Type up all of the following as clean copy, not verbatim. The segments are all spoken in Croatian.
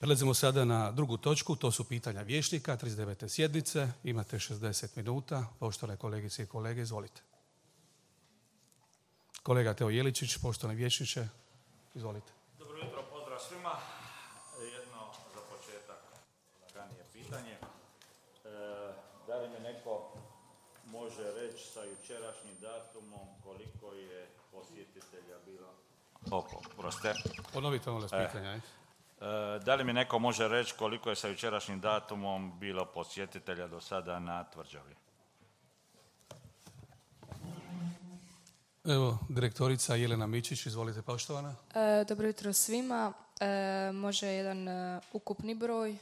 Prelazimo sada na drugu točku, to su pitanja vijećnika, 39. sjednice. Imate 60 minuta. Poštovane kolegice i kolege, izvolite. Kolega Teo Jeličić, poštovani vijećniče, izvolite. Dobro jutro, pozdrav svima. Jedno za početak laganije pitanje. Da li mi neko može reći sa jučerašnjim datumom koliko je posjetitelja bilo? Ponovite molim vas pitanja. Da li mi neko može reći koliko je sa jučerašnjim datumom bilo posjetitelja do sada na tvrđavi? Evo, direktorica Jelena Mičić, izvolite poštovana. Dobro jutro svima. Može jedan ukupni broj.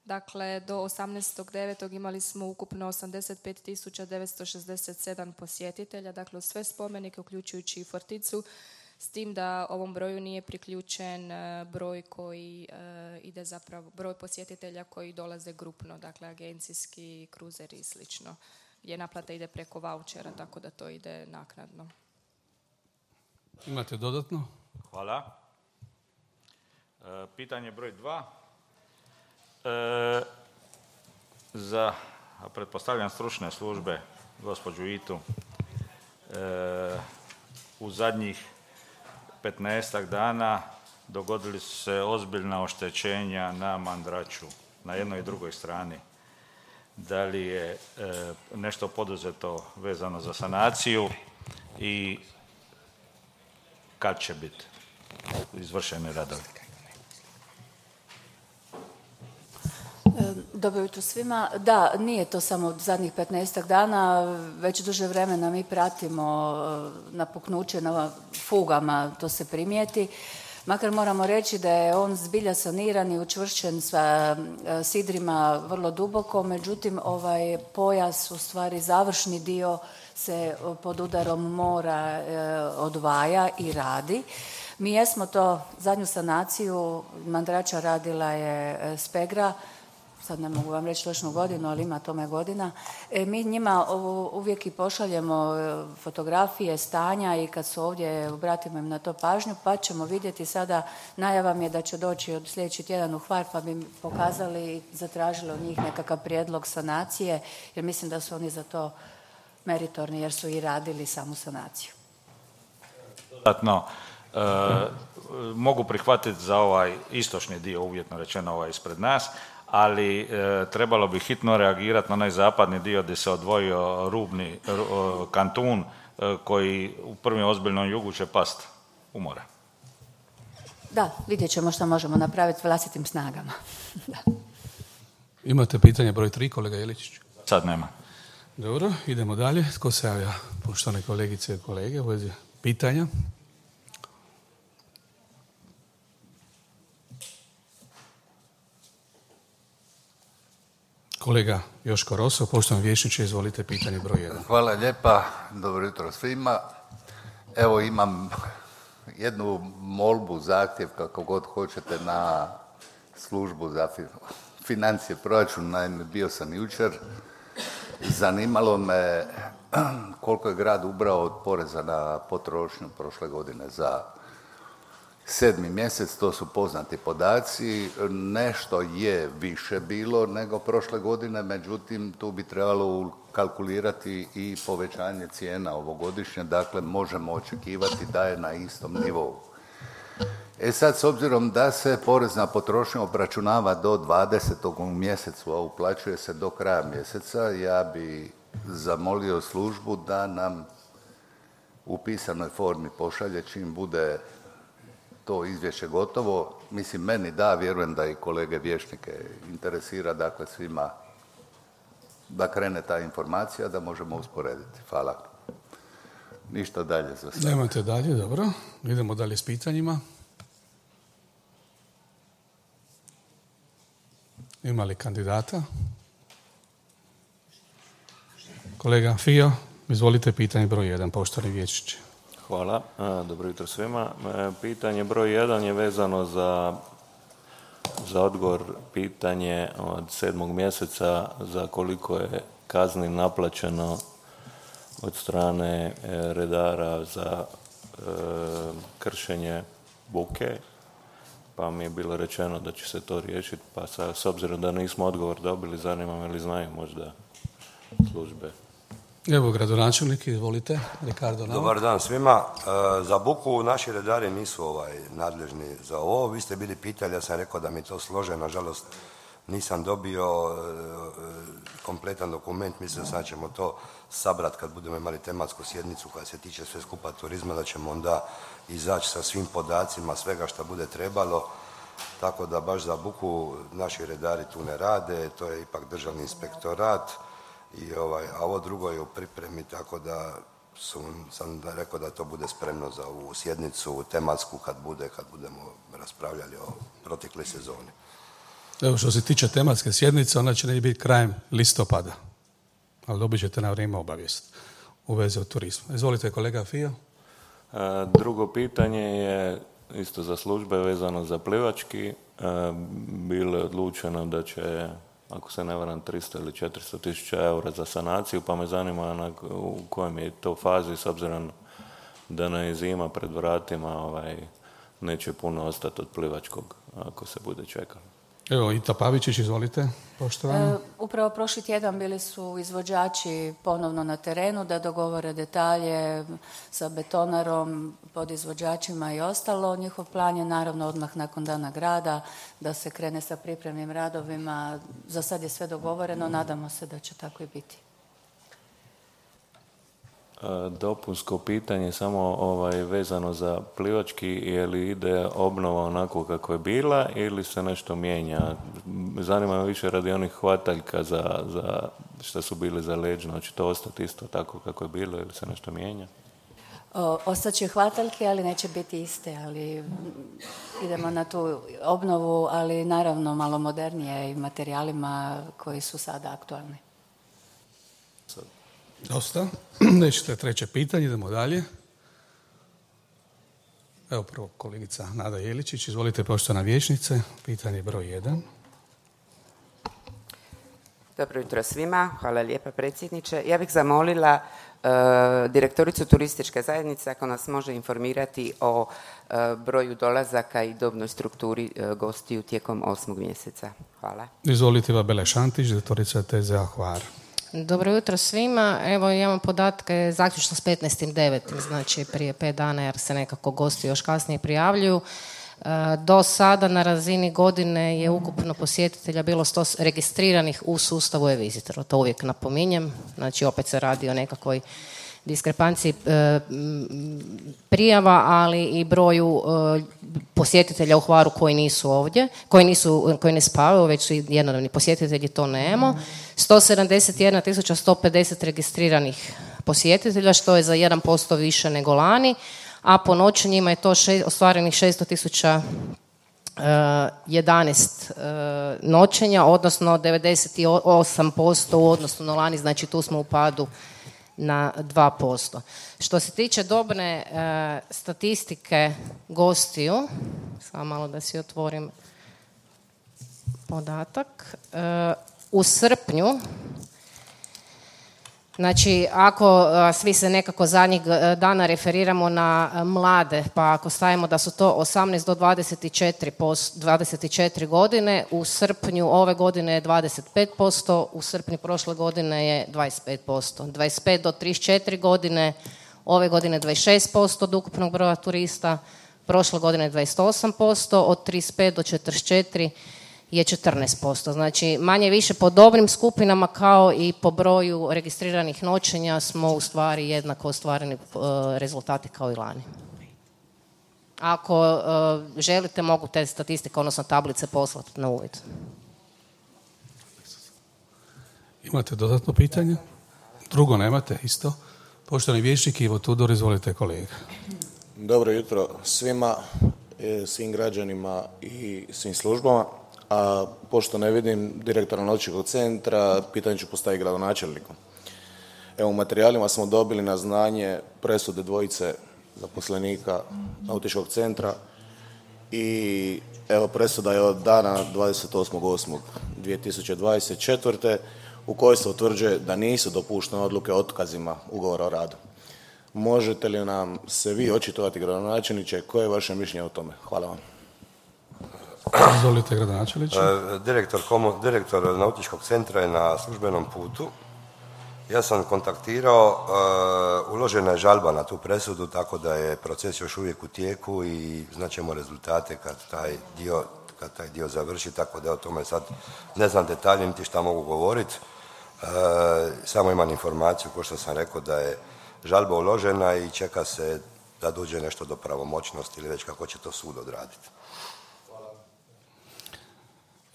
Dakle, do 18.9. imali smo ukupno 85.967 posjetitelja, dakle sve spomenike uključujući i Forticu, s tim da ovom broju nije priključen broj koji ide zapravo, broj posjetitelja koji dolaze grupno, dakle agencijski, kruzeri i slično, gdje naplata ide preko vaučera, tako da to ide naknadno. Imate dodatno? Hvala. Pitanje broj 2. Za, pretpostavljam, stručne službe, gospođu Itu, u zadnjih 15 dana dogodili su se ozbiljna oštećenja na Mandraču, na jednoj i drugoj strani. Da li je nešto poduzeto vezano za sanaciju i kad će biti izvršeni radovi? Dobro jutro svima. Da, nije to samo zadnjih 15 dana, već duže vremena mi pratimo napuknuće na fugama, to se primijeti. Makar moramo reći da je on zbilja saniran i učvršćen sa sidrima vrlo duboko, međutim ovaj pojas, u stvari završni dio, se pod udarom mora odvaja i radi. Mi jesmo to zadnju sanaciju Mandrača radila je Spegra, sad ne mogu vam reći točnu godinu, ali ima tome godina. Mi njima uvijek i pošaljemo fotografije stanja i kad su ovdje obratimo im na to pažnju, pa ćemo vidjeti sada, najava mi je da će doći od sljedeći tjedan u Hvar, pa bi pokazali i zatražili od njih nekakav prijedlog sanacije, jer mislim da su oni za to meritorni, jer su i radili samu sanaciju. Dodatno, mogu prihvatiti za ovaj istočni dio, uvjetno rečeno ovaj ispred nas, ali trebalo bi hitno reagirati na onaj zapadni dio gdje se odvojio rubni kantun koji u prvom ozbiljnom jugu će past u more. Da, vidjet ćemo što možemo napraviti vlastitim snagama. Da. Imate pitanje broj 3, kolega Jeličić? Sad nema. Dobro, idemo dalje. Tko se javlja, poštovane kolegice i kolege, u vezi pitanja? Kolega Joško Roso, poštovani vijećniče, izvolite pitanje broj 1. Hvala lijepa, dobro jutro svima. Evo imam jednu molbu, zahtjev, kako god hoćete, na službu za financije proračun. Naime, bio sam jučer, zanimalo me koliko je grad ubrao od poreza na potrošnju prošle godine za 7. mjesec, to su poznati podaci, nešto je više bilo nego prošle godine, međutim tu bi trebalo kalkulirati i povećanje cijena ovogodišnje, dakle možemo očekivati da je na istom nivou. Sad, s obzirom da se porez na potrošnju obračunava do 20. u mjesecu, a uplaćuje se do kraja mjeseca, ja bi zamolio službu da nam u pisanoj formi pošalje čim bude to izvješće gotovo. Mislim, meni da, vjerujem da i kolege vijećnike interesira, dakle svima da krene ta informacija, da možemo usporediti. Hvala. Ništa dalje za sada. Nemate dalje, dobro. Idemo dalje s pitanjima. Ima li kandidata? Kolega Fio, izvolite pitanje broj 1, poštovani vijećniče. Hvala, dobro jutro svima. Pitanje broj 1 je vezano za odgovor pitanje od 7. mjeseca za koliko je kazni naplaćeno od strane redara za kršenje buke. pa mi je bilo rečeno da će se to riješiti, pa s obzirom da nismo odgovor dobili, zanima me li znaju možda službe. Evo, gradonačelnik, izvolite, Ricardo Nava. Dobar dan svima. Za buku naši redari nisu nadležni za ovo. Vi ste bili pitali, ja sam rekao da mi to slože, nažalost nisam dobio kompletan dokument, mislim da ćemo to sabrati kad budemo imali tematsku sjednicu koja se tiče sve skupa turizma, da ćemo onda izaći sa svim podacima, svega što bude trebalo, tako da baš za buku naši redari tu ne rade, to je ipak državni inspektorat, a ovo drugo je u pripremi, tako da sam rekao da to bude spremno za ovu sjednicu tematsku kad budemo raspravljali o protekloj sezoni. Evo, što se tiče tematske sjednice, ona će neće biti krajem listopada, ali dobit ćete na vrijeme obavijest u vezi od turizma. Izvolite, kolega Fio. Drugo pitanje je isto za službe vezano za plivački. Bilo je odlučeno da će, ako se ne varam, 300 ili 400 tisuća eura za sanaciju, pa me zanima u kojem je to fazi, s obzirom da nam je zima pred vratima, neće puno ostati od plivačkog ako se bude čekalo. Evo, Ita Pavičić, izvolite, poštovani. Upravo prošli tjedan bili su izvođači ponovno na terenu da dogovore detalje sa betonarom, podizvođačima i ostalo. Njihov plan je naravno odmah nakon dana grada da se krene sa pripremnim radovima. Za sad je sve dogovoreno, nadamo se da će tako i biti. Dopunsko pitanje samo vezano za plivački, je li ide obnova onako kako je bila ili se nešto mijenja? Zanima me više radi onih hvataljka za što su bili za leđno, hoće to ostati isto tako kako je bilo ili se nešto mijenja? Ostaće hvataljke, ali neće biti iste, ali idemo na tu obnovu, ali naravno malo modernije i materijalima koji su sada aktualni. Dosta. Nećete treće pitanje, idemo dalje. Evo prvo kolegica Nada Jeličić, izvolite, poštovana vijećnice, pitanje broj 1. Dobro jutro svima, hvala lijepa predsjedniče. Ja bih zamolila direktoricu turističke zajednice ako nas može informirati o broju dolazaka i dobnoj strukturi gostiju tijekom 8. mjeseca. Hvala. Izvolite, Bele Šantić, direktorica TZA Hvar. Dobro jutro svima. Evo imamo podatke zaključno s 15.9. znači prije 5 dana jer se nekako gosti još kasnije prijavljuju. Do sada na razini godine je ukupno posjetitelja bilo 100 registriranih u sustavu e-visitora. To uvijek napominjem. Znači opet se radi o nekakvoj diskrepanciji prijava, ali i broju posjetitelja u Hvaru koji nisu ovdje, koji ne spavaju, već su jednodnevni posjetitelji, to nemamo. 171.150 registriranih posjetitelja, što je za 1% više nego lani, a po noćenjima je to ostvarenih 600.011 noćenja, odnosno 98% u odnosu na lani, znači tu smo u padu na 2%. Što se tiče dobne statistike gostiju, samo malo da si otvorim podatak, u srpnju, znači ako svi se nekako zadnjih dana referiramo na mlade, pa ako stavimo da su to 18 do 24 godine, u srpnju ove godine je 25%, u srpnju prošle godine je 25%. 25 do 34 godine, ove godine 26% od ukupnog broja turista, prošle godine 28%, od 35 do 44 je 14%. Znači, manje više po dobrim skupinama kao i po broju registriranih noćenja smo u stvari jednako ostvareni rezultati kao i lani. Ako želite, mogu te statistike, odnosno tablice poslati na uvid. Imate dodatno pitanje? Drugo nemate, isto. Poštovani vijećnik Ivo Tudor, izvolite kolega. Dobro jutro svima, svim građanima i svim službama. A pošto ne vidim direktora nautičkog centra, pitanje ću postaviti gradonačelniku. Evo, u materijalima smo dobili na znanje presude dvojice zaposlenika nautičkog centra i evo presuda je od dana 28.8.2024. u kojoj se utvrđuje da nisu dopuštene odluke o otkazima ugovora o radu. Možete li nam se vi očitovati, gradonačelniče, koje je vaše mišljenje o tome? Hvala vam. Izvolite, gradonačelniče. Direktor nautičkog centra je na službenom putu. Ja sam kontaktirao, uložena je žalba na tu presudu, tako da je proces još uvijek u tijeku i znaćemo rezultate kad taj dio završi, tako da o tome sad ne znam detalje niti šta mogu govoriti. Samo imam informaciju, kao što sam rekao, da je žalba uložena i čeka se da dođe nešto do pravomoćnosti ili već kako će to sud odraditi.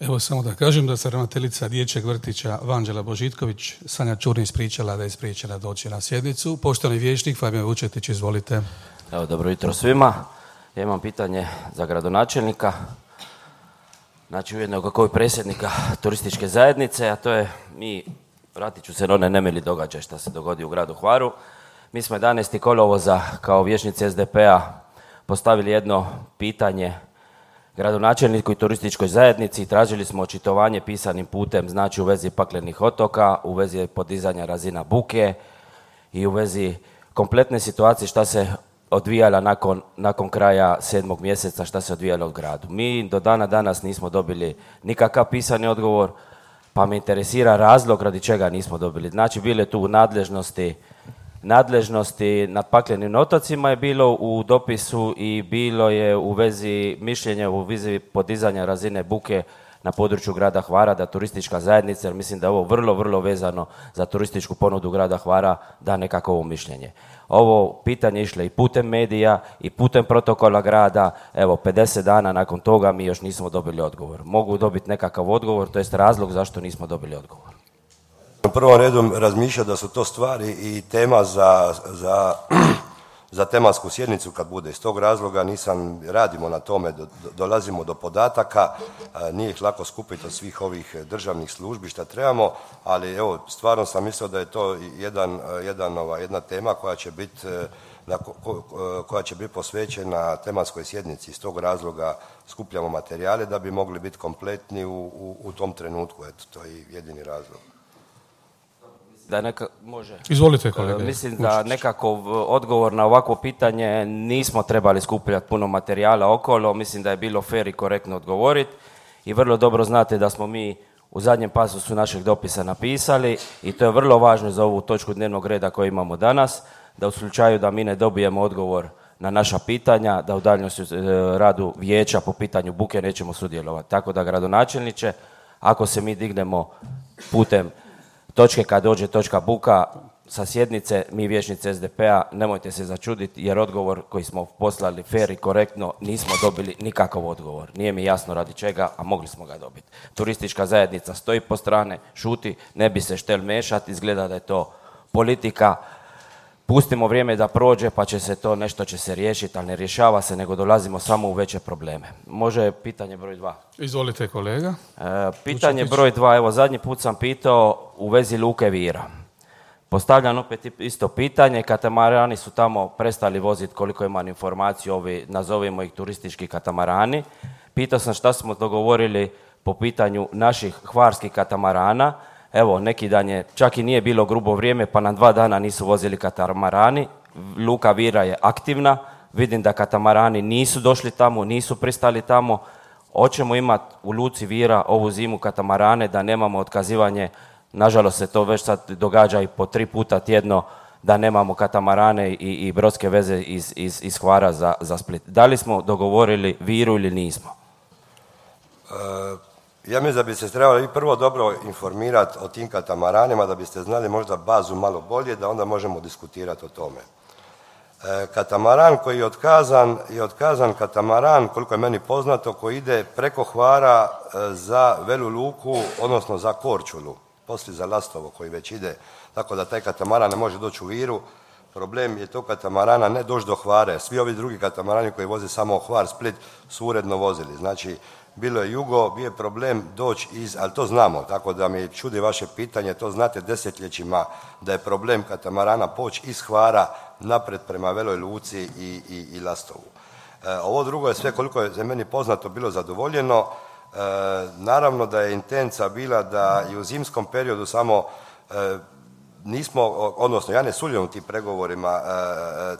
Evo samo da kažem da se ravnateljica dječjeg vrtića Vanđela Božitković, Sanja Čurni, ispričala da je spriječena doći na sjednicu. Poštovani vijećnik Fabijan Vučetić, izvolite. Evo, dobro jutro svima. Ja imam pitanje za gradonačelnika, znači ujedno kako i predsjednika turističke zajednice, a to je, vratit ću se na one nemili događaj što se dogodi u gradu Hvaru. Mi smo 11. kolovoza kao vijećnici SDP-a postavili jedno pitanje gradonačelniku i turističkoj zajednici i tražili smo očitovanje pisanim putem, znači u vezi paklenih otoka, u vezi podizanja razina buke i u vezi kompletne situacije šta se odvijala nakon kraja 7. mjeseca, šta se odvijalo u gradu. Mi do dana danas nismo dobili nikakav pisani odgovor, pa me interesira razlog radi čega nismo dobili. Znači, bile tu nadležnosti nad paklenim otocima je bilo u dopisu i bilo je u vezi mišljenja u vezi podizanja razine buke na području grada Hvara, da turistička zajednica, jer mislim da je ovo vrlo, vrlo vezano za turističku ponudu grada Hvara, da nekako mišljenje. Ovo pitanje išlo i putem medija i putem protokola grada. Evo, 50 dana nakon toga mi još nismo dobili odgovor. Mogu dobiti nekakav odgovor, to jest razlog zašto nismo dobili odgovor. U prvom redu razmišljam da su to stvari i tema za tematsku sjednicu kad bude. Iz tog razloga radimo na tome, dolazimo do podataka, nije ih lako skupiti od svih ovih državnih službi šta trebamo, ali evo, stvarno sam mislio da je to jedna tema koja će biti posvećena tematskoj sjednici. Iz tog razloga skupljamo materijale da bi mogli biti kompletni u tom trenutku. Eto, to je jedini razlog. Može. Izvolite, kolega. Mislim da nekako odgovor na ovakvo pitanje nismo trebali skupljati puno materijala okolo. Mislim da je bilo fer i korektno odgovoriti. I vrlo dobro znate da smo mi u zadnjem pasusu našeg dopisa napisali, i to je vrlo važno za ovu točku dnevnog reda koju imamo danas, da u slučaju da mi ne dobijemo odgovor na naša pitanja, da u daljnjem radu vijeća po pitanju buke nećemo sudjelovati. Tako da, gradonačelniče, ako se mi dignemo putem točke kad dođe točka buka sa sjednice, mi vijećnici SDP-a, nemojte se začuditi jer odgovor koji smo poslali fer i korektno nismo dobili nikakav odgovor. Nije mi jasno radi čega, a mogli smo ga dobiti. Turistička zajednica stoji po strane, šuti, ne bi se štel mešati, izgleda da je to politika. Pustimo vrijeme da prođe pa će se to, nešto će se riješiti, ali ne rješava se, nego dolazimo samo u veće probleme. Može pitanje broj 2? Izvolite, kolega. Pitanje broj 2, evo zadnji put sam pitao u vezi Luke Vira. Postavljam opet isto pitanje, katamarani su tamo prestali voziti, koliko imam informaciju, ovi, nazovimo ih turistički katamarani. Pitao sam šta smo dogovorili po pitanju naših hvarskih katamarana. Evo, neki dan je, čak i nije bilo grubo vrijeme, pa nam 2 dana nisu vozili katamarani. Luka Vira je aktivna, vidim da katamarani nisu došli tamo, nisu pristali tamo. Hoćemo imati u Luci Vira ovu zimu katamarane, da nemamo otkazivanje. Nažalost se to već sad događa i po 3 puta tjedno, da nemamo katamarane i brodske veze iz Hvara za Split. Da li smo dogovorili Viru ili nismo? Ja mislim da bi se trebali prvo dobro informirati o tim katamaranima, da biste znali možda bazu malo bolje, da onda možemo diskutirati o tome. Katamaran koji je otkazan katamaran, koliko je meni poznato, koji ide preko Hvara za Velu Luku, odnosno za Korčulu, poslije za Lastovo koji već ide, tako da taj katamaran ne može doći u Viru. Problem je tog katamarana ne doći do Hvare. Svi ovi drugi katamarani koji voze samo Hvar, Split su uredno vozili. Znači, bilo je jugo, bio je problem doći ali to znamo, tako da mi čudi vaše pitanje, to znate desetljećima da je problem katamarana poći iz Hvara napred prema Veloj Luci i Lastovu. Ovo drugo je sve, koliko je za meni poznato, bilo zadovoljeno. Naravno da je intenca bila da i u zimskom periodu samo nismo, odnosno ja ne sudjelujem u tim pregovorima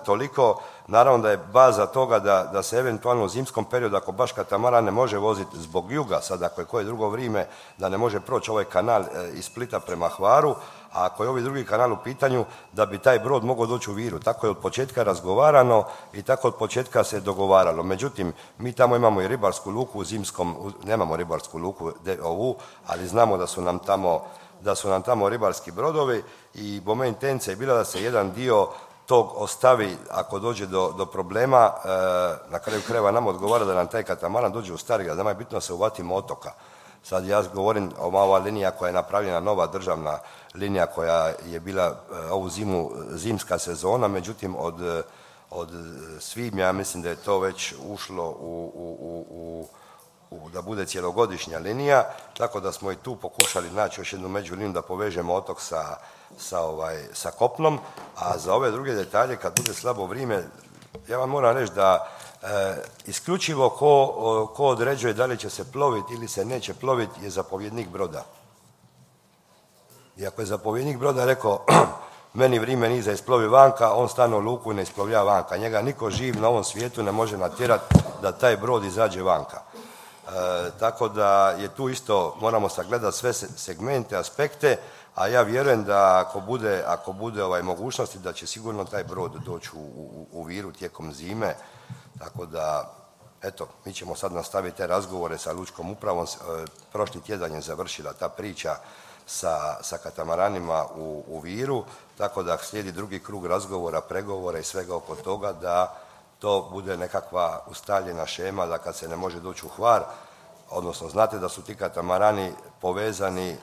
toliko, Naravno da je baza toga da se eventualno u zimskom periodu, ako baš katamaran ne može voziti zbog juga, sad ako je koje drugo vrijeme, da ne može proći ovaj kanal iz Splita prema Hvaru, a ako je ovaj drugi kanal u pitanju, da bi taj brod mogao doći u Viru. Tako je od početka razgovarano i tako od početka se dogovaralo. Međutim, mi tamo imamo i ribarsku luku u zimskom, nemamo ribarsku luku ovu, ali znamo da su nam tamo ribarski brodovi i moja intencija je bila da se jedan dio tog ostavi ako dođe do problema, na kraju krajeva nam odgovara da nam taj katamaran dođe u Starigrad, nama je bitno da se uvatimo otoka. Sad ja govorim o ova linija koja je napravljena, nova državna linija koja je bila ovu zimu zimska sezona, međutim od svibnja ja mislim da je to već ušlo da bude cjelogodišnja linija, tako da smo i tu pokušali naći još jednu međuliniju da povežemo otok sa kopnom, a za ove druge detalje kad bude slabo vrijeme, ja vam moram reći da isključivo ko određuje da li će se ploviti ili se neće ploviti je zapovjednik broda. I ako je zapovjednik broda rekao meni vrijeme nije za isplovi vanka, on stane u luku i ne isplovlja vanka. Njega niko živ na ovom svijetu ne može natjerati da taj brod izađe vanka. Tako da je tu isto, moramo sagledati sve segmente, aspekte, a ja vjerujem da ako bude mogućnosti da će sigurno taj brod doći u Viru tijekom zime. Tako da, eto, mi ćemo sad nastaviti te razgovore sa lučkom upravom. Prošli tjedan je završila ta priča sa katamaranima u Viru, tako da slijedi drugi krug razgovora, pregovora i svega oko toga da to bude nekakva ustaljena šema da kad se ne može doći u Hvar, odnosno znate da su ti katamarani povezani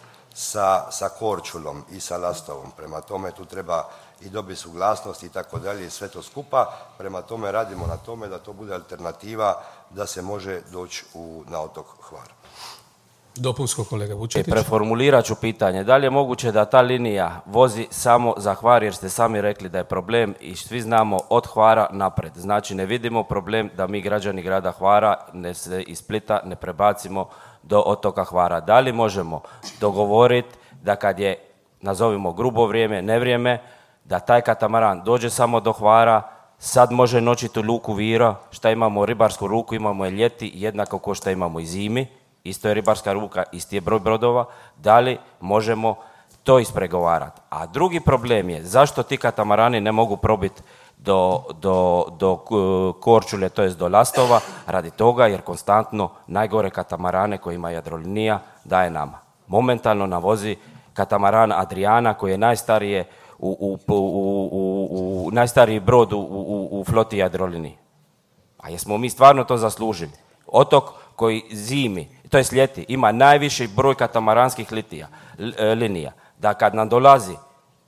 sa Korčulom i sa Lastovom. Prema tome tu treba i dobiti suglasnost i tako dalje i sve to skupa. Prema tome radimo na tome da to bude alternativa da se može doći na otok Hvar. Dopunsko kolega Vučetić. Preformulirat ću pitanje. Da li je moguće da ta linija vozi samo za Hvar, jer ste sami rekli da je problem i svi znamo od Hvara napred. Znači ne vidimo problem da mi građani grada Hvara iz Splita ne prebacimo do otoka Hvara. Da li možemo dogovoriti da kad je, nazovimo grubo vrijeme, nevrijeme, da taj katamaran dođe samo do Hvara, sad može noćiti u luku Vira, šta imamo ribarsku luku, imamo je ljeti, jednako kao što imamo i zimi, isto je ribarska luka, isti je broj brodova, da li možemo to ispregovarati. A drugi problem je zašto ti katamarani ne mogu probiti do Korčule, to jest do Lastova, radi toga jer konstantno najgore katamarane koje ima Jadrolinija daje nama. Momentalno navozi katamaran Adriana koji je najstariji brod u floti Jadrolinije. A jesmo mi stvarno to zaslužili? Otok koji zimi, to jest ljeti, ima najviši broj katamaranskih linija. Da kad nam dolazi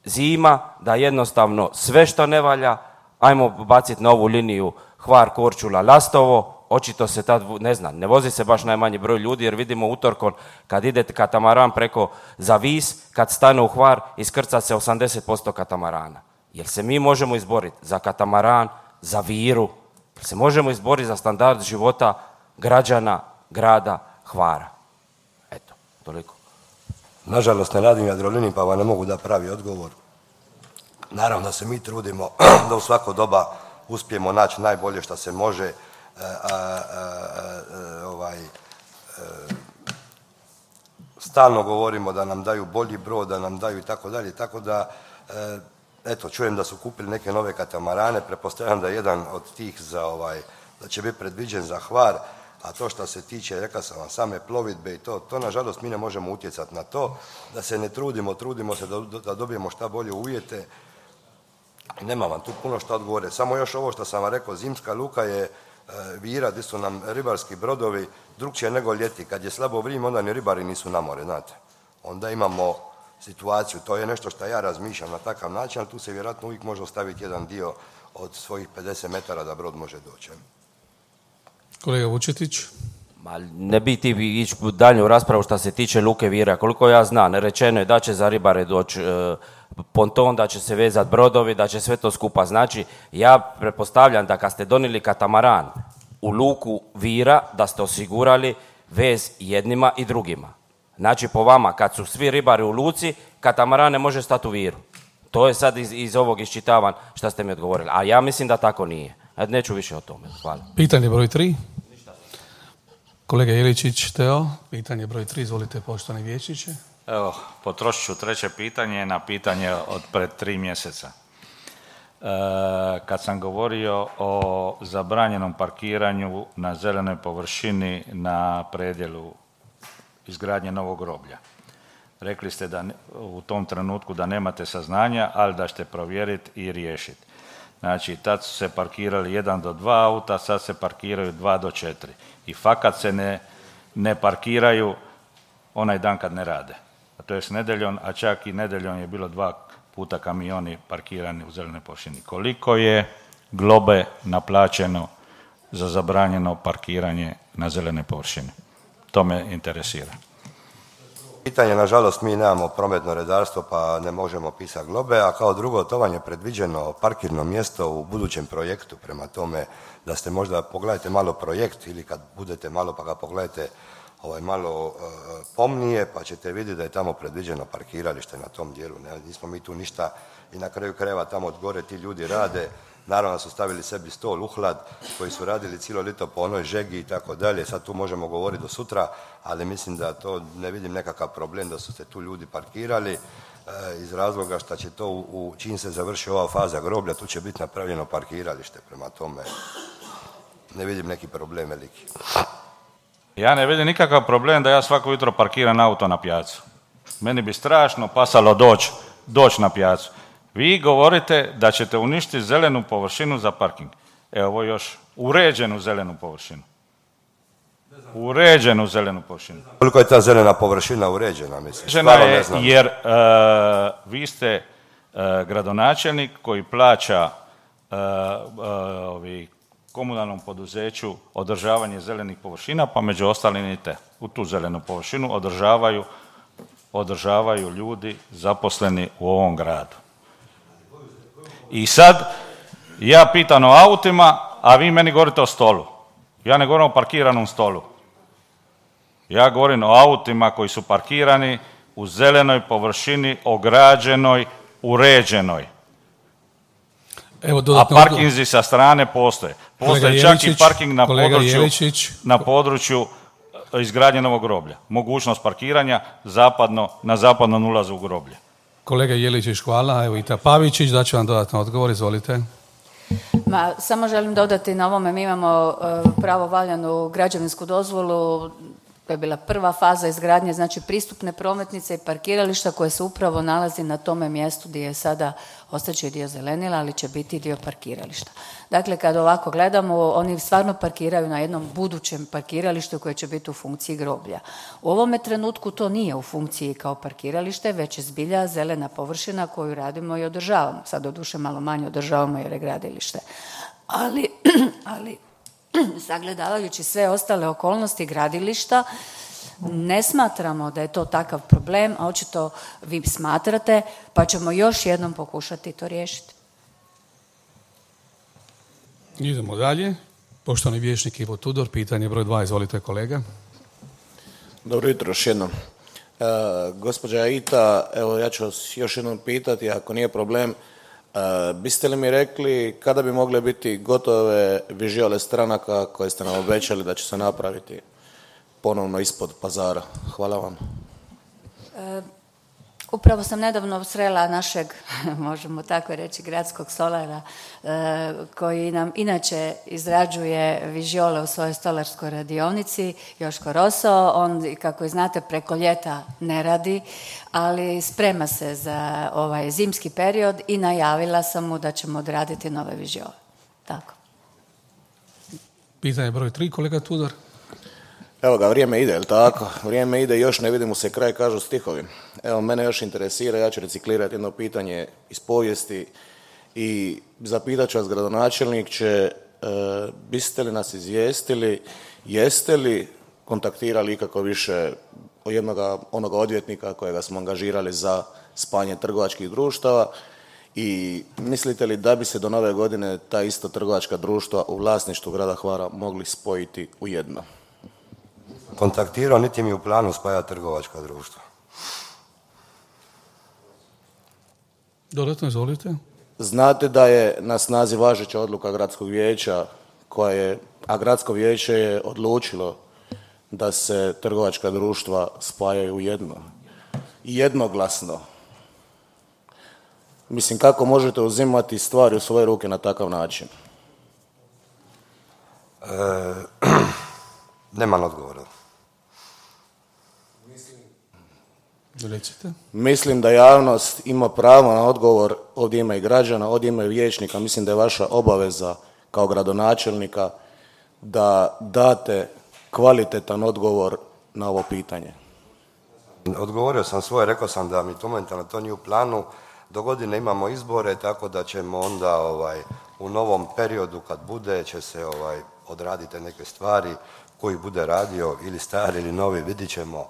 zima, da jednostavno sve što ne valja, ajmo baciti na ovu liniju Hvar, Korčula, Lastovo, očito se tad, ne vozi se baš najmanji broj ljudi jer vidimo utorkom kad ide katamaran preko za Vis, kad stane u Hvar, iskrca se 80% katamarana. Jer se mi možemo izboriti za katamaran, za Viru, jer se možemo izboriti za standard života građana grada Hvara. Eto, toliko. Nažalost ne radim Jadroliniji pa vam ne mogu da pravi odgovor. Naravno da se mi trudimo da u svako doba uspijemo naći najbolje što se može, stalno govorimo da nam daju bolji brod, da nam daju i tako dalje, tako da eto, čujem da su kupili neke nove katamarane, pretpostavljam da je jedan od tih da će biti predviđen za Hvar, a to što se tiče, rekao sam vam, same plovidbe i to nažalost mi ne možemo utjecati na to, da se ne trudimo se da dobijemo šta bolje uvjete. Nema vam tu puno što odgovore, samo još ovo što sam vam rekao, zimska luka je Vira, gdje su nam ribarski brodovi drukčije nego ljeti. Kad je slabo vrijeme, onda ni ribari nisu na more, znate. Onda imamo situaciju, to je nešto što ja razmišljam na takav način, ali tu se vjerojatno uvijek može ostaviti jedan dio od svojih 50 metara da brod može doći. Kolega Vučetić. Ma ne bi ti ići u daljnju raspravu što se tiče luke Vira. Koliko ja znam, rečeno je da će za ribare doći ponton, da će se vezati brodovi, da će sve to skupa. Znači, ja pretpostavljam da kad ste donijeli katamaran u luku Vira, da ste osigurali vez jednima i drugima. Znači, po vama, kad su svi ribari u luci, katamaran ne može stati u Viru. To je sad iz ovog iščitavan što ste mi odgovorili. A ja mislim da tako nije. Neću više o tome. Hvala. Pitanje broj 3. Kolega Jeličić, Teo, pitanje broj 3, izvolite poštovani vijećniče. Evo, potrošit ću treće pitanje na pitanje od pred 3 mjeseca. Kad sam govorio o zabranjenom parkiranju na zelenoj površini na predjelu izgradnje novog groblja. Rekli ste da u tom trenutku da nemate saznanja, ali da ćete provjeriti i riješiti. Znači, tad su se parkirali 1 do 2 auta, sad se parkiraju 2 do 4. I fakat se ne parkiraju onaj dan kad ne rade. A to je s nedjeljom, a čak i nedjeljom je bilo 2 puta kamioni parkirani u zelenoj površini. Koliko je globe naplaćeno za zabranjeno parkiranje na zelenoj površini? To me interesira. Pitanje, nažalost, mi nemamo prometno redarstvo pa ne možemo pisati globe, a kao drugo, to vam je predviđeno parkirno mjesto u budućem projektu, prema tome da ste možda, pogledajte malo projekt ili kad budete malo pa ga pogledajte malo pomnije pa ćete vidjeti da je tamo predviđeno parkiralište na tom dijelu. Nismo mi tu ništa i na kraju krajeva tamo od gore ti ljudi rade. Naravno su stavili sebi stol, uhlad, koji su radili cijelo ljeto po onoj žegi i tako dalje. Sad tu možemo govoriti do sutra, ali mislim da to ne vidim nekakav problem da su se tu ljudi parkirali iz razloga što će to čim se završi ova faza groblja, tu će biti napravljeno parkiralište. Prema tome ne vidim neki problem veliki. Ja ne vidim nikakav problem da ja svako jutro parkiram auto na pijacu. Meni bi strašno pasalo doći na pijacu. Vi govorite da ćete uništiti zelenu površinu za parking. Evo još uređenu zelenu površinu. Uređenu zelenu površinu. Koliko je ta zelena površina uređena, mislim? Uređena je jer vi ste gradonačelnik koji plaća komunalnom poduzeću održavanje zelenih površina, pa među ostalim i u tu zelenu površinu održavaju ljudi zaposleni u ovom gradu. I sad ja pitam o autima, a vi meni govorite o stolu. Ja ne govorim o parkiranom stolu. Ja govorim o autima koji su parkirani u zelenoj površini, ograđenoj, uređenoj. Evo, a parkinzi sa strane postoje. Postoje čak i parking na području izgradnje novog groblja. Mogućnost parkiranja na zapadnom ulazu u groblje. Kolega Jeličić, hvala. Evo Ita Pavičić, daću vam dodatno odgovor, izvolite. Samo želim dodati na ovome, mi imamo pravovaljanu građevinsku dozvolu, to je bila prva faza izgradnje, znači pristupne prometnice i parkirališta koje se upravo nalazi na tome mjestu gdje je sada ostaće dio zelenila, ali će biti dio parkirališta. Dakle, kad ovako gledamo, oni stvarno parkiraju na jednom budućem parkiralištu koje će biti u funkciji groblja. U ovome trenutku to nije u funkciji kao parkiralište, već je zbilja zelena površina koju radimo i održavamo. Sad doduše malo manje održavamo jer je gradilište. Ali sagledavajući sve ostale okolnosti gradilišta, ne smatramo da je to takav problem, a očito vi smatrate, pa ćemo još jednom pokušati to riješiti. Idemo dalje. Poštovani vijećnik Ivo Tudor, pitanje broj 2, izvolite kolega. Dobro jutro još jednom. Gospođa Aita, evo ja ću vas još jednom pitati, ako nije problem, biste li mi rekli kada bi mogle biti gotove vižijole stranaka koje ste nam obećali da će se napraviti ponovno ispod pazara? Hvala vam. Upravo sam nedavno srela našeg, možemo tako reći, gradskog stolara koji nam inače izrađuje vižijole u svojoj stolarskoj radionici, Joško Roso. On, kako i znate, preko ljeta ne radi, ali sprema se za ovaj zimski period i najavila sam mu da ćemo odraditi nove vižijole. Tako. Pitanje broj 3, kolega Tudor. Evo ga, vrijeme ide, jel' tako? Vrijeme ide, još ne vidimo se kraj, kažu stihovi. Evo, mene još interesira, ja ću reciklirati jedno pitanje iz povijesti i zapitat ću vas, gradonačelniče, biste li nas izvijestili, jeste li kontaktirali ikako više onoga odvjetnika kojega smo angažirali za spajanje trgovačkih društava i mislite li da bi se do nove godine ta ista trgovačka društva u vlasništvu grada Hvara mogli spojiti u jedno? Kontaktirao, niti mi u planu spaja trgovačka društva. Dodatno, izvolite. Znate da je na snazi važeća odluka gradskog vijeća a gradsko vijeće je odlučilo da se trgovačka društva spajaju u jedno. Jednoglasno. Mislim, kako možete uzimati stvari u svoje ruke na takav način? Nemam odgovora. Recite. Mislim da javnost ima pravo na odgovor, ovdje ima i građana, ovdje ima i vijećnika. Mislim da je vaša obaveza kao gradonačelnika da date kvalitetan odgovor na ovo pitanje. Odgovorio sam svoje, rekao sam da mi to momentalno to nije u planu. Do godine imamo izbore, tako da ćemo onda u novom periodu kad bude će se odraditi neke stvari koji bude radio ili stari ili novi, vidit ćemo,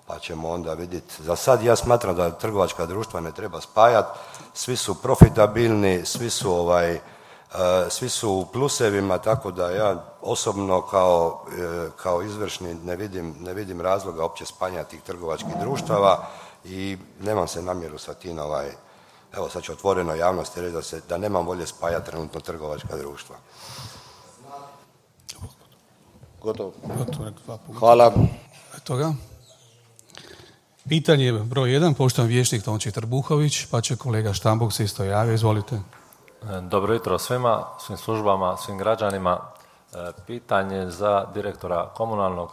pa ćemo onda vidjeti. Za sad ja smatram da trgovačka društva ne treba spajati, svi su profitabilni, svi su u plusevima, tako da ja osobno kao izvršni ne vidim razloga opće spajanja tih trgovačkih društava i nemam se namjeru sa tim, evo sad ću otvoreno javnosti reći da nemam volje spajati trenutno trgovačka društva. Gotovo. Hvala. Eto ga. Pitanje broj 1, poštovani vijećnik Tonči Trbuhović, pa će kolega Štambuk se isto javio. Izvolite. Dobro jutro svima, svim službama, svim građanima. Pitanje za direktora komunalnog.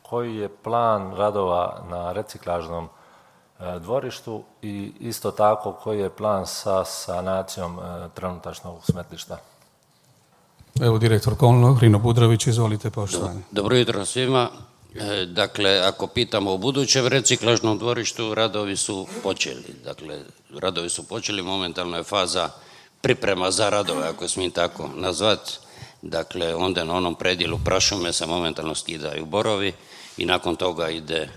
Koji je plan radova na reciklažnom dvorištu i isto tako koji je plan sa sanacijom trenutačnog smetlišta? Evo direktor komunalnog, Rino Budrović, izvolite poštovani. Dobro jutro svima. Dakle, ako pitamo o budućem reciklažnom dvorištu, radovi su počeli, momentalno je faza priprema za radove, ako smijem tako nazvati. Dakle, onda na onom predjelu prašume se momentalno skidaju borovi i nakon toga ide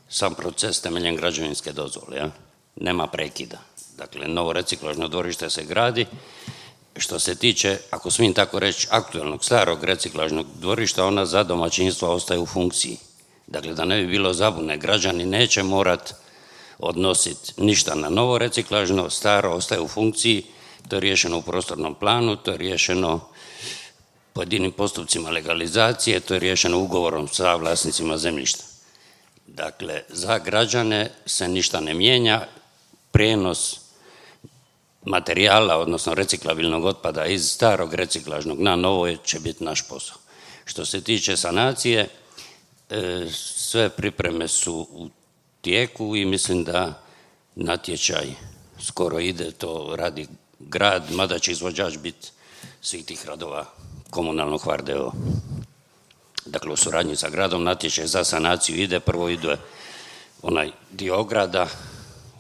sam proces temeljem građevinske dozvole. Ja? Nema prekida. Dakle, novo reciklažno dvorište se gradi. Što se tiče, ako smijem tako reći, aktualnog starog reciklažnog dvorišta, ona za domaćinstva ostaje u funkciji. Dakle, da ne bi bilo zabune, građani neće morat odnositi ništa na novo reciklažno, staro ostaje u funkciji, to je riješeno u prostornom planu, to je riješeno pojedinim postupcima legalizacije, to je riješeno ugovorom sa vlasnicima zemljišta. Dakle, za građane se ništa ne mijenja, prijenos materijala, odnosno reciklabilnog otpada iz starog reciklažnog na novo će biti naš posao. Što se tiče sanacije, sve pripreme su u tijeku i mislim da natječaj skoro ide, to radi grad, mada će izvođač biti svih tih radova komunalnog Hvardeo. Dakle, u suradnji sa gradom natječaj za sanaciju ide, prvo ide onaj dio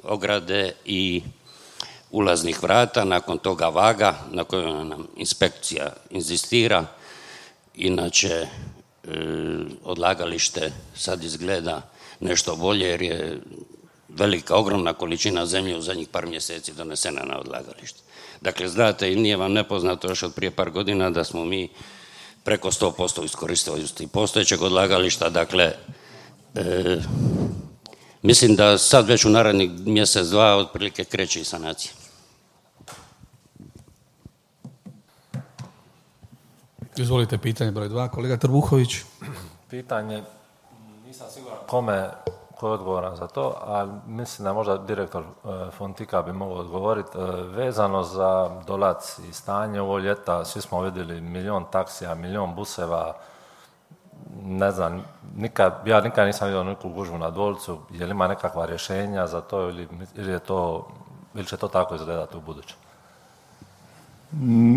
ograde i ulaznih vrata, nakon toga vaga na kojoj nam inspekcija inzistira. Inače, odlagalište sad izgleda nešto bolje jer je velika, ogromna količina zemlje u zadnjih par mjeseci donesena na odlagalište. Dakle, znate i nije vam nepoznato još od prije par godina da smo mi preko 100% iskoristivosti postojećeg odlagališta. Dakle, mislim da sad već u narednih mjesec, dva otprilike kreće i sanacija. Izvolite pitanje broj 2, kolega Trbuhović. Pitanje, nisam siguran ko je odgovoran za to, ali mislim da možda direktor Fontika bi mogao odgovoriti. Vezano za Dolac i stanje ovo ljeta, svi smo vidjeli 1.000.000 taksija, 1.000.000 buseva, ne znam, ja nikad nisam vidio neku gužvu na Dolcu. Je li ima nekakva rješenja za to ili će to tako izgledati u buduće?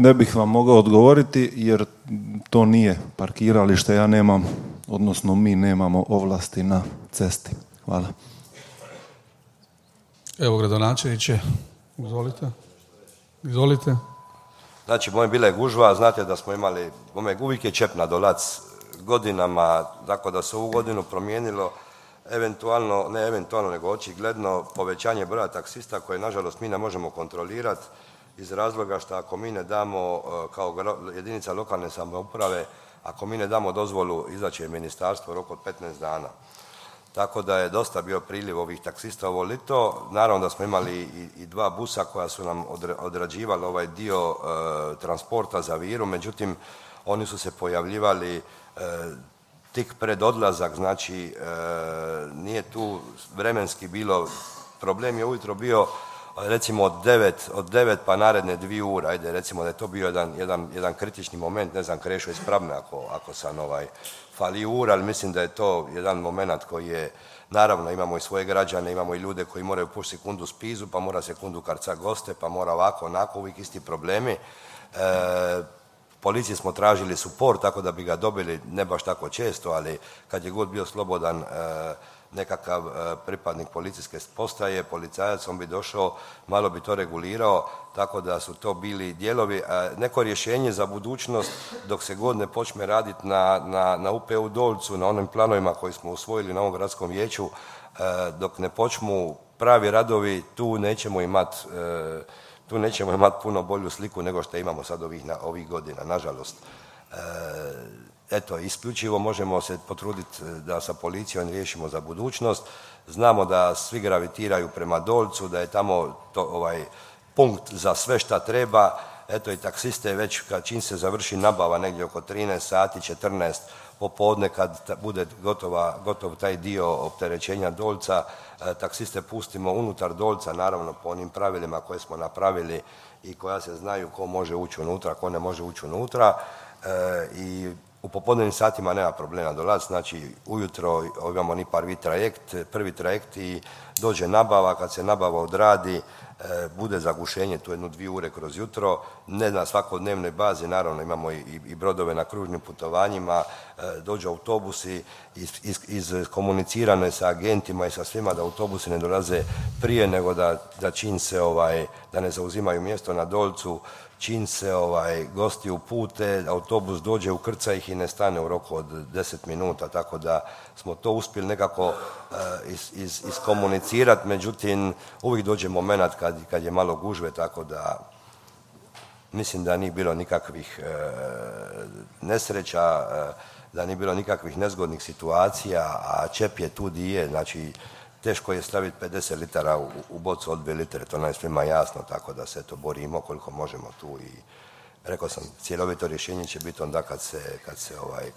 Ne bih vam mogao odgovoriti jer to nije parkiralište, ja nemam, odnosno mi nemamo ovlasti na cesti. Hvala. Evo gradonačelniče, izvolite. Znači, moje bila je gužva, znate da smo imali, uvijek je čep na Dolac godinama, tako da se ovu godinu promijenilo nego očigledno povećanje broja taksista koje nažalost mi ne možemo kontrolirati iz razloga što ako mi ne damo kao jedinica lokalne samouprave, ako mi ne damo dozvolu, izaći je ministarstvo u roku od 15 dana. tako da je dosta bio priljev ovih taksista ovo lito. Naravno da smo imali i dva busa koja su nam odrađivali ovaj dio transporta za Viru, međutim oni su se pojavljivali tik pred odlazak, znači nije tu vremenski bilo, problem je ujutro bio recimo od 9 pa naredne 2 ure, ajde recimo da je to bio jedan kritični moment, ne znam, Krešo ispravne ako sam fali ura, ali mislim da je to jedan moment koji je, naravno imamo i svoje građane, imamo i ljude koji moraju po sekundu spizu, pa mora sekundu karca goste, pa mora ovako, onako, uvijek isti problemi. Policiji smo tražili suport, tako da bi ga dobili, ne baš tako često, ali kad je god bio slobodan nekakav pripadnik policijske postaje, policajac, on bi došao, malo bi to regulirao, tako da su to bili dijelovi. Neko rješenje za budućnost, dok se god ne počne raditi na UPU Dolcu, na onim planovima koji smo usvojili na ovom gradskom vijeću, dok ne počnu pravi radovi, tu nećemo imati puno bolju sliku nego što imamo sad ovih godina, nažalost. Eto, isključivo možemo se potruditi da sa policijom riješimo za budućnost. Znamo da svi gravitiraju prema Dolcu, da je tamo punkt za sve šta treba. Eto, i taksiste već čim se završi nabava negdje oko 13 sati, 14 popodne, kad bude gotov taj dio opterećenja Dolca, taksiste pustimo unutar Dolca, naravno po onim pravilima koje smo napravili i koja se znaju ko može ući unutra, ko ne može ući unutra. I u popodnevnim satima nema problema dolaz, znači ujutro imamo ni prvi trajekt i dođe nabava, kad se nabava odradi, bude zagušenje tu 1-2 ure kroz jutro, ne na svakodnevnoj bazi, naravno imamo i brodove na kružnim putovanjima, dođu autobusi, iskomunicirano je sa agentima i sa svima da autobusi ne dolaze prije nego da čim se, da ne zauzimaju mjesto na Dolcu, čim se gosti upute, autobus dođe, ukrca ih i ne stane u roku od 10 minuta, tako da smo to uspjeli nekako iskomunicirati, međutim uvijek dođe moment kad je malo gužve, tako da mislim da nije bilo nikakvih nesreća, da nije bilo nikakvih nezgodnih situacija, a čep je tu di je, znači teško je staviti 50 litara u bocu od 2 litre, to nam je svima jasno, tako da se to borimo koliko možemo tu i rekao sam, cjelovito rješenje će biti onda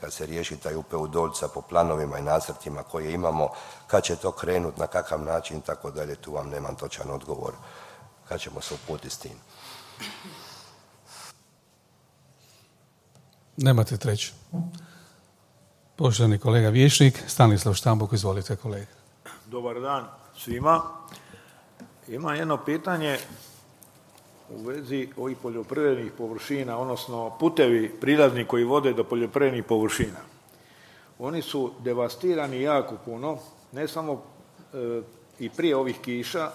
kad se riješi taj UPU Dolca po planovima i nacrtima koje imamo, kad će to krenuti, na kakav način, tako dalje, tu vam nemam točan odgovor, kad ćemo se uputiti s tim. Nemate treći. Poštovani kolega vijećnik, Stanislav Štambuk, izvolite kolega. Dobar dan svima. Imam jedno pitanje u vezi ovih poljoprivrednih površina, odnosno putevi prilazni koji vode do poljoprivrednih površina. Oni su devastirani jako puno, ne samo i prije ovih kiša,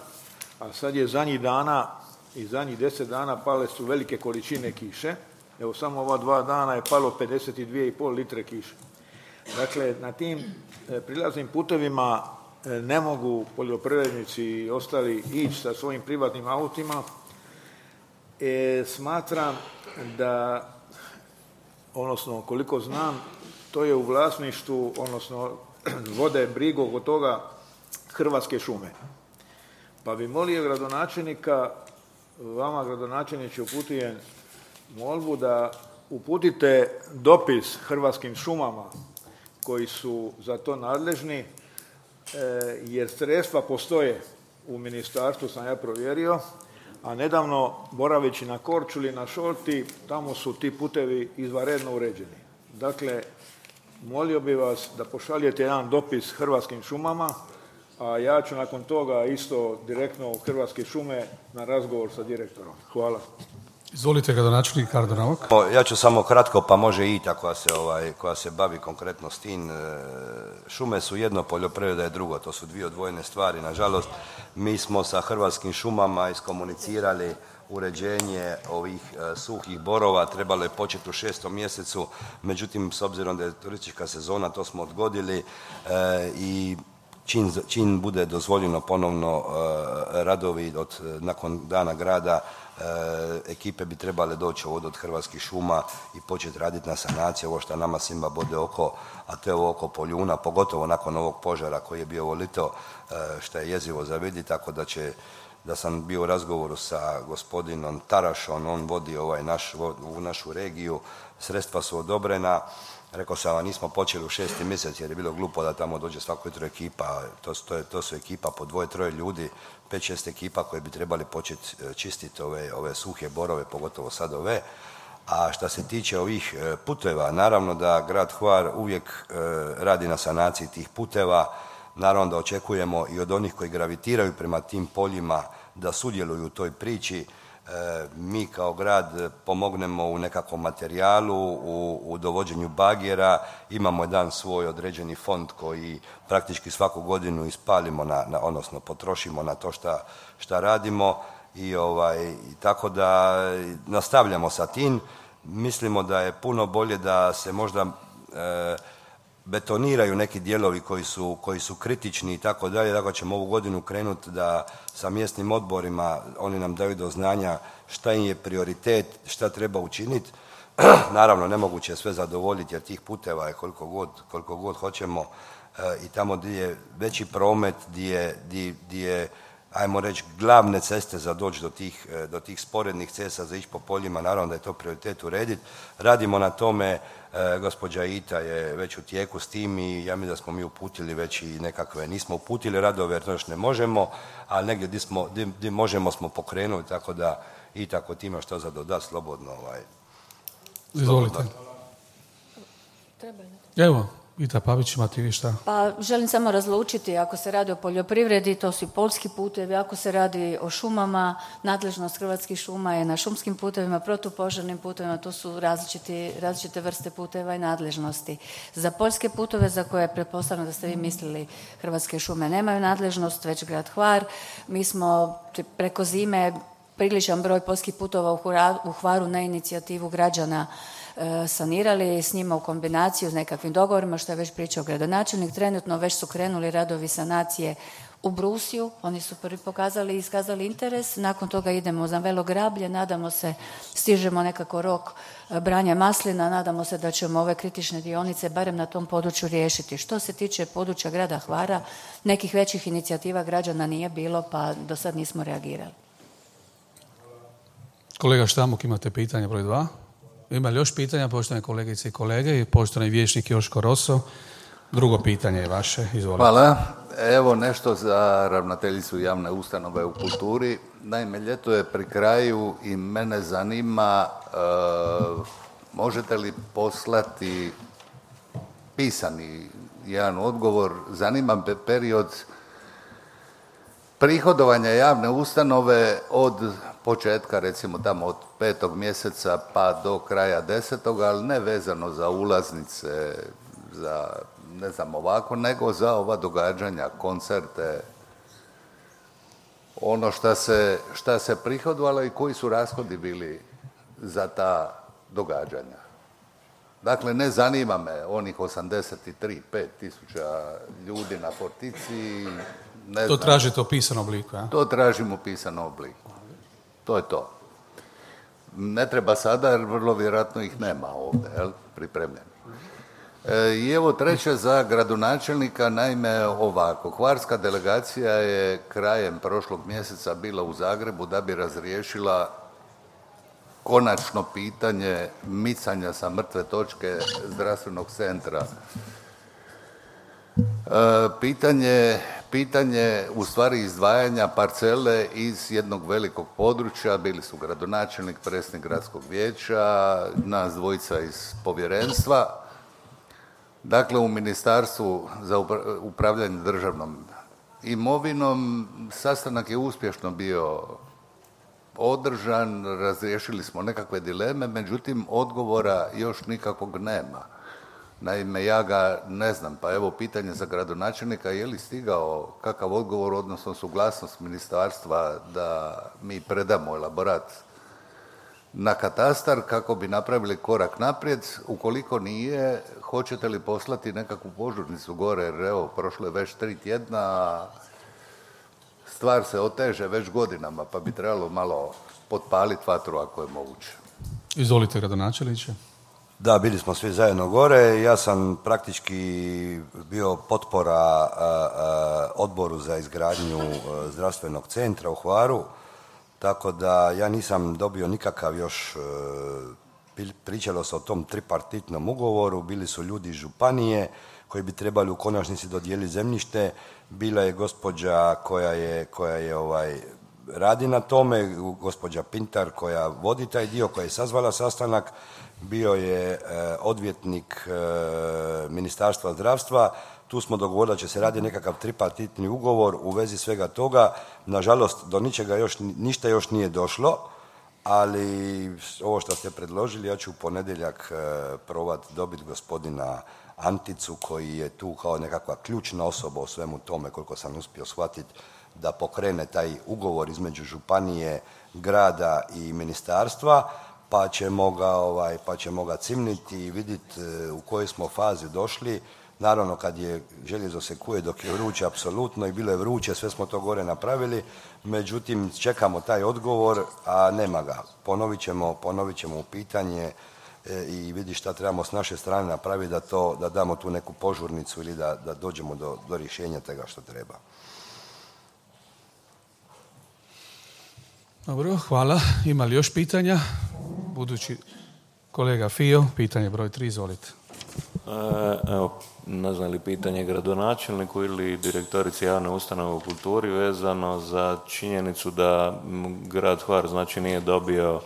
a sad je zadnjih dana i zadnjih 10 dana pale su velike količine kiše. Evo samo ova 2 dana je palo 52,5 litre kiše. Dakle, na tim prilaznim putevima ne mogu poljoprivrednici i ostali ići sa svojim privatnim autima. Smatram da, odnosno koliko znam, to je u vlasništvu, odnosno vode brigu oko toga Hrvatske šume. Pa bi molio gradonačelnika, vama gradonačelniče uputujem molbu da uputite dopis Hrvatskim šumama koji su za to nadležni, jer sredstva postoje u ministarstvu, sam ja provjerio, a nedavno boraveći na Korčuli, na Šolti, tamo su ti putevi izvanredno uređeni. Dakle, molio bi vas da pošaljete jedan dopis Hrvatskim šumama, a ja ću nakon toga isto direktno u Hrvatske šume na razgovor sa direktorom. Hvala. Izvolite, gradonačelnik Kardo Novak. Ja ću samo kratko, pa može i ta koja se bavi konkretno s tim. Šume su jedno, poljoprivreda je drugo, to su dvije odvojene stvari. Nažalost, mi smo sa Hrvatskim šumama iskomunicirali uređenje ovih suhih borova, trebalo je početi u 6. mjesecu, međutim, s obzirom da je turistička sezona, to smo odgodili i čim bude dozvoljeno ponovno radovi nakon dana grada, ekipe bi trebale doći ovdje od Hrvatskih šuma i početi raditi na sanaciji, ovo što nama svima bode oko, a to je ovo oko Poljuna, pogotovo nakon ovog požara koji je bio ovo lito, što je jezivo za vidjeti, tako da sam bio u razgovoru sa gospodinom Tarašom, on vodi u našu regiju, sredstva su odobrena. Rekao sam vam, nismo počeli u 6. mjesec jer je bilo glupo da tamo dođe svako jutro ekipa, to su ekipa po 2-3 ljudi, 5-6 ekipa koje bi trebali početi čistiti ove suhe borove, pogotovo sad ove. A što se tiče ovih puteva, naravno da grad Hvar uvijek radi na sanaciji tih puteva, naravno da očekujemo i od onih koji gravitiraju prema tim poljima da sudjeluju u toj priči. Mi kao grad pomognemo u nekakvom materijalu, u dovođenju bagera, imamo jedan svoj određeni fond koji praktički svaku godinu ispalimo, odnosno potrošimo na to šta radimo i tako da nastavljamo sa tim. Mislimo da je puno bolje da se možda betoniraju neki dijelovi koji su kritični i tako dalje, tako ćemo ovu godinu krenuti da sa mjesnim odborima oni nam daju do znanja šta im je prioritet, šta treba učiniti. Naravno, nemoguće je sve zadovoljiti jer tih puteva je koliko god hoćemo i tamo gdje je veći promet, gdje je, ajmo reći, glavne ceste za doći do tih sporednih cesta za ići po poljima, naravno da je to prioritet urediti. Radimo na tome, gospođa Ita je već u tijeku s tim i ja mislim da smo mi uputili već i nekakve, nismo uputili radove jer to još ne možemo, ali negdje gdje možemo smo pokrenuli, tako da i tako ti imaš što za dodat slobodno. Izvolite. Evo, Ita Pavić, imate vi šta? Pa želim samo razlučiti, ako se radi o poljoprivredi, to su i poljski putevi, ako se radi o šumama, nadležnost Hrvatskih šuma je na šumskim putevima, protupožarnim putevima, to su različite vrste puteva i nadležnosti. Za poljske puteve, za koje pretpostavljam da ste vi mislili Hrvatske šume nemaju nadležnost, već grad Hvar, mi smo preko zime priličan broj poljskih putova u Hvaru na inicijativu građana sanirali, s njima u kombinaciju s nekakvim dogovorima, što je već pričao gradonačelnik. Trenutno već su krenuli radovi sanacije u Brusiju, oni su prvi pokazali i iskazali interes, nakon toga idemo za Velo Grablje, nadamo se, stižemo nekako rok branja maslina, nadamo se da ćemo ove kritične dionice barem na tom području riješiti. Što se tiče područja grada Hvara, nekih većih inicijativa građana nije bilo, pa do sad nismo reagirali. Kolega Štamuk, imate pitanje broj 2? Ima li još pitanja, poštovane kolegice i kolege i poštovani vijećnik Joško Roso? Drugo pitanje je vaše, izvolite. Hvala. Evo nešto za ravnateljicu javne ustanove u kulturi. Naime, ljeto je pri kraju i mene zanima možete li poslati pisani jedan odgovor. Zanima me period prihodovanja javne ustanove od početka, recimo tamo od 5. mjeseca pa do kraja 10. ali ne vezano za ulaznice, za ne znam ovako, nego za ova događanja, koncerte, ono šta se prihodovalo i koji su rashodi bili za ta događanja. Dakle, ne zanima me onih 5 tisuća ljudi na Fortici. To tražite u pisanom obliku, a? To tražimo u pisanom obliku. To je to. Ne treba sada, jer vrlo vjerojatno ih nema ovdje, pripremljeni. I evo treće za gradonačelnika, naime ovako. Hvarska delegacija je krajem prošlog mjeseca bila u Zagrebu da bi razriješila konačno pitanje micanja sa mrtve točke zdravstvenog centra. Pitanje u stvari izdvajanja parcele iz jednog velikog područja, bili su gradonačelnik, predsjednik gradskog vijeća, nas dvojica iz povjerenstva. Dakle, u Ministarstvu za upravljanje državnom imovinom sastanak je uspješno bio održan, razriješili smo nekakve dileme, međutim odgovora još nikakvog nema. Naime, ja ga ne znam, pa evo pitanje za gradonačelnika, je li stigao kakav odgovor, odnosno suglasnost ministarstva da mi predamo elaborat na katastar kako bi napravili korak naprijed. Ukoliko nije, hoćete li poslati nekakvu požurnicu gore, jer evo, prošlo je već 3 tjedna, a stvar se oteže već godinama, pa bi trebalo malo potpaliti vatru ako je moguće. Izvolite, gradonačelniče. Da, bili smo svi zajedno gore. Ja sam praktički bio potpora odboru za izgradnju zdravstvenog centra u Hvaru, tako da ja nisam dobio nikakav još, pričalo se o tom tripartitnom ugovoru, bili su ljudi iz županije koji bi trebali u konačnici dodijeliti zemljište, bila je gospođa koja je radi na tome, gospođa Pintar koja vodi taj dio, koja je sazvala sastanak, bio je odvjetnik Ministarstva zdravstva. Tu smo dogovorili da će se raditi nekakav tripartitni ugovor u vezi svega toga. Nažalost, do ništa još nije došlo, ali ovo što ste predložili, ja ću u ponedjeljak probati dobiti gospodina Anticu, koji je tu kao nekakva ključna osoba u svemu tome, koliko sam uspio shvatiti, da pokrene taj ugovor između županije, grada i ministarstva, pa ćemo ga cimniti i vidjeti u kojoj smo fazi došli. Naravno, kad je željezo se kuje dok je vruće, apsolutno, i bilo je vruće, sve smo to gore napravili, međutim, čekamo taj odgovor, a nema ga. Ponovit ćemo u pitanje i vidi šta trebamo s naše strane napraviti da damo tu neku požurnicu ili da dođemo do rješenja toga što treba. Dobro, hvala. Ima li još pitanja? Budući kolega Fio, pitanje broj 3, izvolite. Evo, ne znam li pitanje gradonačelniku ili direktorici javne ustanove u kulturi vezano za činjenicu da grad Hvar znači nije dobio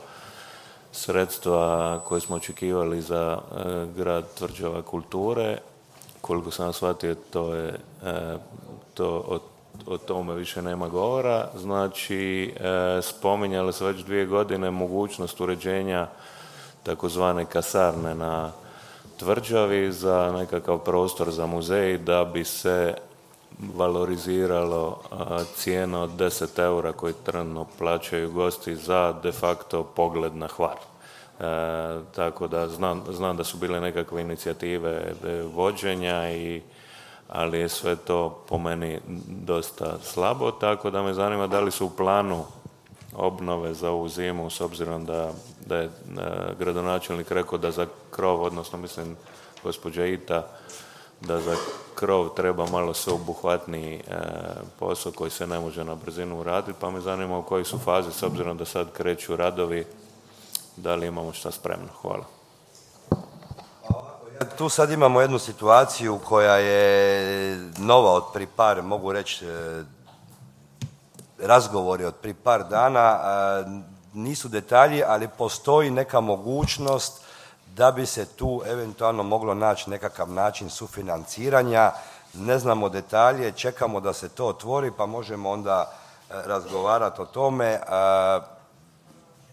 sredstva koje smo očekivali za grad Tvrđava kulture. Koliko sam shvatio, o tome više nema govora. Znači, spominjali se već 2 godine mogućnost uređenja takozvane kasarne na Tvrđavi za nekakav prostor za muzej da bi se valoriziralo cijena od 10 eura koji trenutno plaćaju gosti za de facto pogled na Hvar. Tako da znam da su bile nekakve inicijative vođenja, ali je sve to po meni dosta slabo, tako da me zanima da li su u planu obnove za ovu zimu, s obzirom da je gradonačelnik rekao da za krov, odnosno mislim gospođa Ita, da za krov treba malo sveobuhvatniji posao koji se ne može na brzinu uraditi, pa me zanima u kojoj su fazi, s obzirom da sad kreću radovi, da li imamo šta spremno. Hvala. Tu sad imamo jednu situaciju koja je nova od prije par, mogu reći, razgovori od prije par dana, nisu detalji, ali postoji neka mogućnost da bi se tu eventualno moglo naći nekakav način sufinanciranja. Ne znamo detalje, čekamo da se to otvori pa možemo onda razgovarati o tome.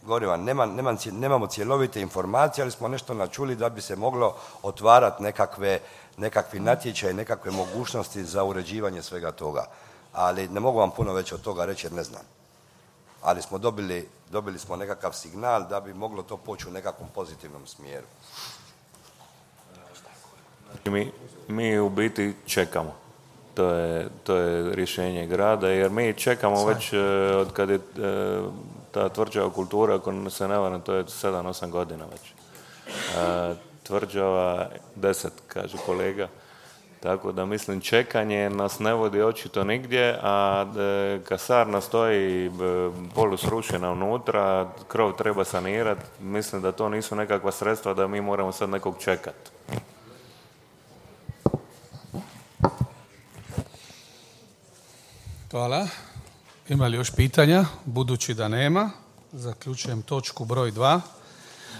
Govorim vam, nemamo cjelovite informacije, ali smo nešto načuli da bi se moglo otvarati nekakvi natječaj, nekakve mogućnosti za uređivanje svega toga. Ali ne mogu vam puno već od toga reći jer ne znam. Ali smo dobili smo nekakav signal da bi moglo to poći u nekakvom pozitivnom smjeru. Mi u biti čekamo. To je rješenje grada, jer mi čekamo već od kad je ta Tvrđava kultura, ako se ne varam, to je 7-8 godina već. Tvrđava 10, kaže kolega. Tako da mislim, čekanje nas ne vodi očito nigdje, a kasarna stoji polusrušena unutra, krov treba sanirati. Mislim da to nisu nekakva sredstva da mi moramo sad nekog čekati. Hvala. Ima li još pitanja? Budući da nema, zaključujem točku broj 2.